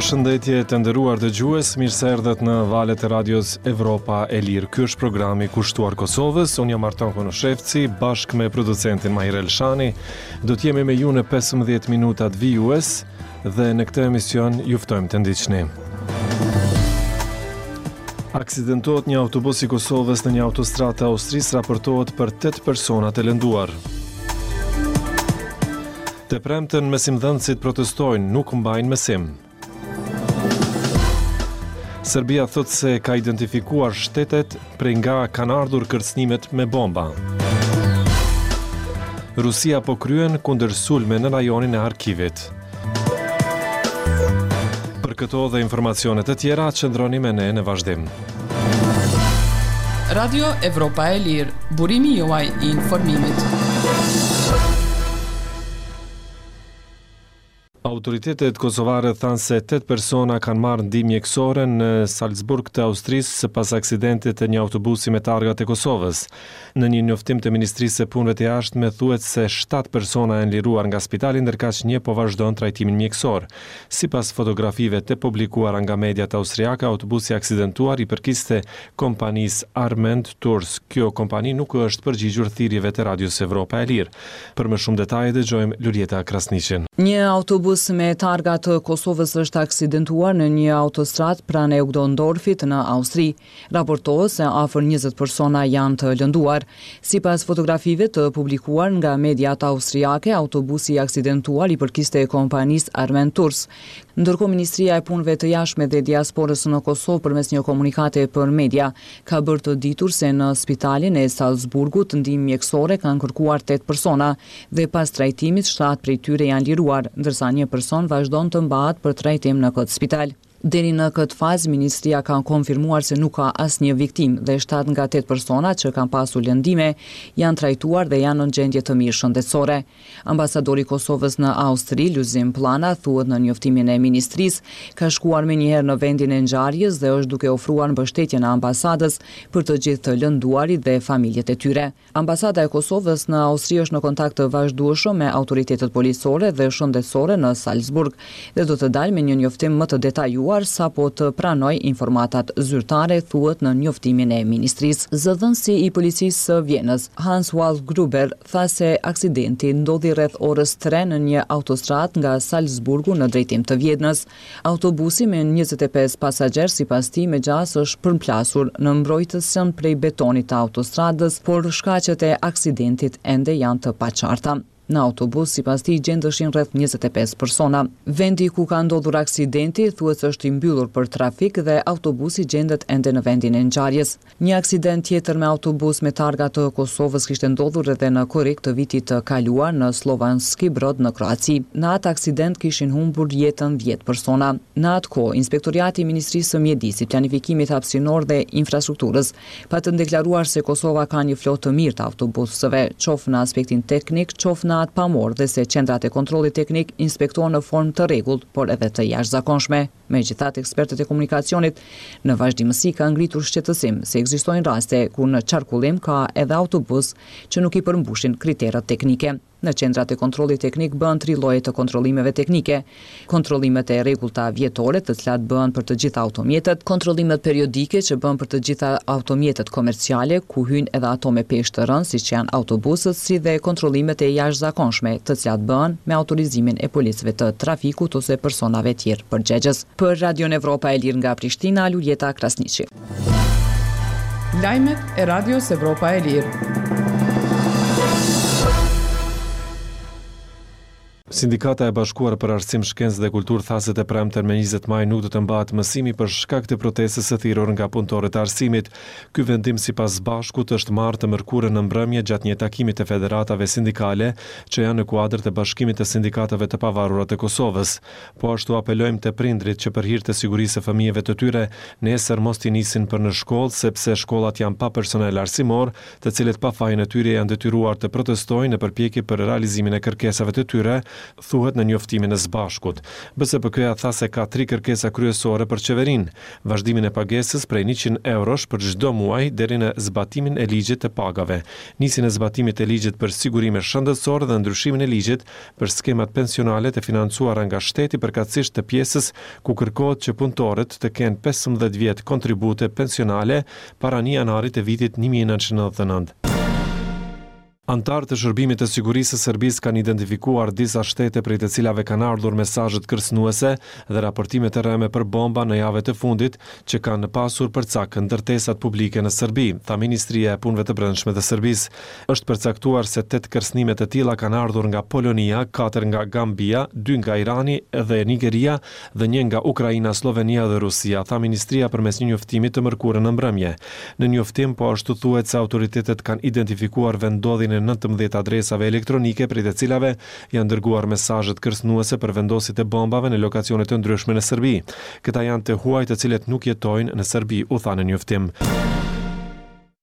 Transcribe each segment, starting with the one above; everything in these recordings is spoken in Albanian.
Përshëndetje të nderuar dëgjues, mirë se erdhët në valët e radios Evropa e Lirë. Ky është programi kushtuar Kosovës. Unë jam Artan Konushevci, bashkë me producentin Mahir Elshani. Do të jemi me ju në 15 minutat vijues dhe në këtë emision ju ftojmë të ndiqni. Aksidentohet një autobus i Kosovës në një autostradë të Austrisë, raportohet për 8 persona të lënduar. Të premten mësimdhënësit protestojnë, nuk mbajnë mësim. Serbia thotë se ka identifikuar shtetet prej nga kanë ardhur kërcënimet me bomba. Rusia po kryen kundërsulme në rajonin e Harkivit. Për këto dhe informacione të tjera, qëndroni me ne në vazhdim. Radio Evropa e Lirë, burimi juaj i informimit. Autoritetet kosovare thanë se 8 persona kanë marrë ndihmë mjekësore në Salzburg të Austrisë pas aksidentit të një autobusi me targa të Kosovës. Në një njoftim të Ministrisë së Punëve të Jashtme thuhet se 7 persona janë liruar nga spitali ndërkaq një po vazhdon trajtimin mjekësor. Sipas fotografive të publikuara nga mediat austriake, autobusi i aksidentuar i përkiste kompanisë Armend Tours. Kjo kompani nuk u është përgjigjur thirrjeve të Radios Evropa e Lirë. Për më shumë detaje dëgjojmë Luljeta Krasniqin. Një autobus me targa të Kosovës është aksidentuar në një autostradë pranë Eugdondorfit në Austri. Raportohet se afër 20 persona janë të lënduar. Sipas fotografive të publikuar nga mediat austriake, autobusi i aksidentuar i përkiste kompanisë Armend Tours. Ndërkohë Ministria e Punëve të Jashtme dhe Diasporës në Kosovë përmes një komunikate për media, ka bërë të ditur se në spitalin e Salzburgut ndihmë mjekësore kanë kërkuar tetë persona dhe pas trajtimit shtatë prej tyre janë liruar, ndërsa një person vazhdon të mbahet për trajtim në këtë spital. Deri në këtë fazë, ministria ka konfirmuar se nuk ka asnjë viktimë dhe shtatë nga tetë persona që kanë pasur lëndime janë trajtuar dhe janë në gjendje të mirë shëndetësore. Ambasadori i Kosovës në Austri, Lulzim Pllana, thuhet në njoftimin e ministrisë, ka shkuar menjëherë në vendin e ngjarjes dhe është duke ofruar mbështetjen e ambasadës për të gjithë të lënduarit dhe familjet e tyre. Ambasada e Kosovës në Austri është në kontakt të vazhdueshëm me autoritetet policore dhe shëndetësore në Salzburg dhe do të dalë me një njoftim më të detajuar sapo të pranojë informatat zyrtare, thuhet në njoftimin e ministrisë. Zëdhënësi i policisë së Vjenës, Hans Waldgruber, tha se aksidenti ndodhi rreth orës tre në një autostradë nga Salzburgu në drejtim të Vjenës. Autobusi me 25 pasagjerë sipas tij me gjasë është përplasur në mbrojtësen prej betonit të autostradës, por shkaqet e aksidentit ende janë të paqarta. Në autobus, sipas tij, gjendeshin rreth 25 persona. Vendi ku ka ndodhur aksidenti thuhet se është i mbyllur për trafik dhe autobusi gjendet ende në vendin e ngjarjes. Një aksident tjetër me autobus me targa të Kosovës kishte ndodhur edhe në korrik të vitit të kaluar në Slavonski Brod në Kroaci. Në atë aksident kishin humbur jetën 10 persona. Në atë kohë, Inspektoriati i Ministrisë së Mjedisit, Planifikimit Hapësinor dhe Infrastrukturës patën deklaruar se Kosova ka një flotë të mirë të autobusëve, qoftë në aspektin teknik, qoftë në atë pamor dhe se qendrat e kontrollit teknik inspektohen në formë të rregullt, por edhe të jashtëzakonshme. Megjithatë, ekspertët e komunikacionit në vazhdimësi kanë ngritur shqetësim se ekzistojnë raste kur në qarkullim ka edhe autobus që nuk i përmbushin kriteret teknike. Në qendrat e kontrollit teknik bëhen tri lloje të kontrollimeve teknike. Kontrollimet e rregullta vjetore, të cilat bëhen për të gjitha automjetet, kontrollimet periodike që bëhen për të gjitha automjetet komerciale, ku hyjnë edhe ato me peshë të rëndë, siç janë autobusët, si dhe kontrollimet e jashtëzakonshme, të cilat bëhen me autorizimin e policëve të trafikut ose personave tjerë përgjegjës. Për Radion Evropa e Lirë nga Prishtina, Luljeta Krasniqi. Lajmet e Radios Evropa e Lirë. Sindikata e Bashkuar për Arsim, Shkencë dhe Kulturë tha se të premten me 20 maj nuk do të mbahet mësimi për shkak të protestës së thirrur nga punëtorët e arsimit. Ky vendim sipas SBASHK-ut është marrë të mërkurën në mbrëmje gjatë një takimi të federatave sindikale që janë në kuadër të Bashkimit të Sindikatave të Pavarura të Kosovës. Po ashtu apelojmë te prindërit që për hir të sigurisë së fëmijëve të tyre, nesër mos t'i nisin për në shkollë sepse shkollat janë pa personel arsimor, të cilët pa fajin e tyre janë detyruar të protestojnë në përpjekje për realizimin e kërkesave të tyre, thuhet në njoftimin e SBASHK-ut. BSPK-ja tha se ka tri kërkesa kryesore për qeverinë, vazhdimin e pagesës prej 100 eurosh për çdo muaj deri në zbatimin e ligjit të pagave, nisjen e zbatimit të ligjit për sigurime shëndetësore dhe ndryshimin e ligjit për skemat pensionale të financuara nga shteti përkatësisht të pjesës ku kërkohet që punëtorët të kenë 15 vjet kontribute pensionale para 1 janarit të vitit 1999. Anëtarë të Shërbimit të Sigurisë së Serbisë kanë identifikuar disa shtete prej të cilave kanë ardhur mesazhet kërcënuese dhe raportimet e rreme për bomba në javët e fundit që kanë pasur për cak ndërtesat publike në Serbi, tha Ministria e Punëve të Brendshme të Serbisë. Është përcaktuar se tetë kërcënime të tilla kanë ardhur nga Polonia, katër nga Gambia, dy nga Irani dhe Nigeria dhe një nga Ukraina, Sllovenia dhe Rusia, tha ministria përmes një njoftimi të mërkurën në mbrëmje. Në njoftim po ashtu thuhet se autoritetet kanë identifikuar vendndodhjen e 19 adresave elektronike prej të cilave janë dërguar mesazhet kërcënuese për vendosjet e bombave në lokacione të ndryshme në Serbi. Këta janë të huaj të cilët nuk jetojnë në Serbi, u tha në njoftim.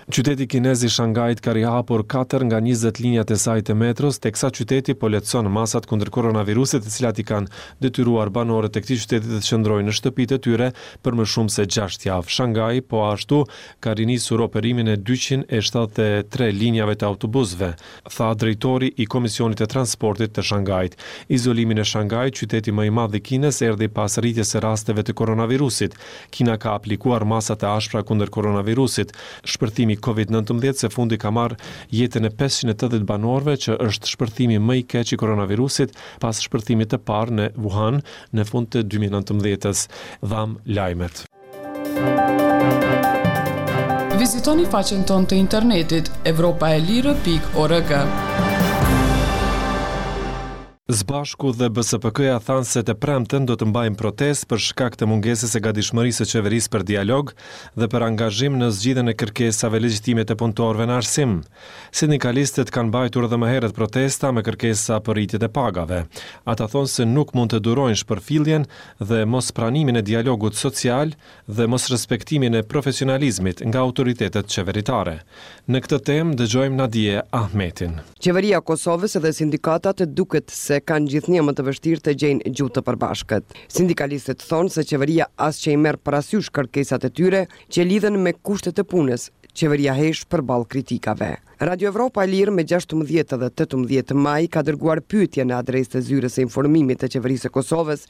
Qyteti kinez i Shangait ka rihapur katër nga 20 linjat e saj të metros, teksa qyteti po lehtëson masat kundër koronavirusit, të cilat i kanë detyruar banorët e këtij qyteti të qëndrojnë në shtëpitë e tyre për më shumë se 6 javë. Shangai po ashtu ka rinisur operimin e 273 linjave të autobusëve, tha drejtori i Komisionit të Transportit të Shangait. Izolimi në Shangai, qyteti më i madh i Kinës, erdhi pas rritjes së rasteve të koronavirusit. Kina ka aplikuar masa të ashpra kundër koronavirusit. Shpërthimi Covid-19 së fundi ka marrë jetën e 580 banorëve, që është shpërthimi më i keq i koronavirusit pas shpërthimit të parë në Wuhan në fund të 2019-s. Dhamë lajmet. Vizitoni faqen tonë të internetit evropaelire.org. SBASHK-u dhe BSPK-ja thanë se të premten do të mbajnë protestë për shkak të mungesës së gatishmërisë së qeverisë për dialog dhe për angazhim në zgjidhjen e kërkesave legjitime të punëtorëve në arsim. Sindikalistët kanë mbajtur edhe më herët protesta me kërkesa për rritjet e pagave. Ata thonë se nuk mund të durojnë shpërfilljen dhe mospranimin e dialogut social dhe mosrespektimin e profesionalizmit nga autoritetet qeveritare. Në këtë temë dëgjojmë Nadie Ahmetin. Qeveria e Kosovës dhe sindikatat duket se kanë gjithnjë më të vështirë të gjejnë gjuhë të përbashkët. Sindikalistët thonë se qeveria as që i merr parasysh kërkesat e tyre që lidhen me kushtet e punës, qeveria hesht përballë kritikave. Radio Evropa e Lirë me 16 dhe 18 maj ka dërguar pyetje në adresë të zyrës së informimit të Qeverisë së Kosovës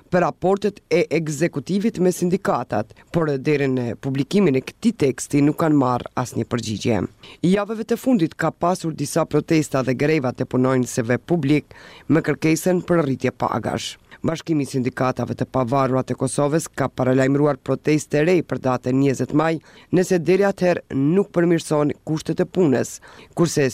për raportet e ekzekutivit me sindikatat, por deri në publikimin e këtij teksti nuk kanë marrë asnjë përgjigje. Javëve të fundit ka pasur disa protesta dhe greva të punonjësve publik me kërkesën për rritje pagash. Bashkimi i Sindikatave të Pavarura të Kosovës ka paralajmëruar protestë të re për datën 20 maj nëse deri atëherë nuk përmirësohen kushtet e punës, kurse.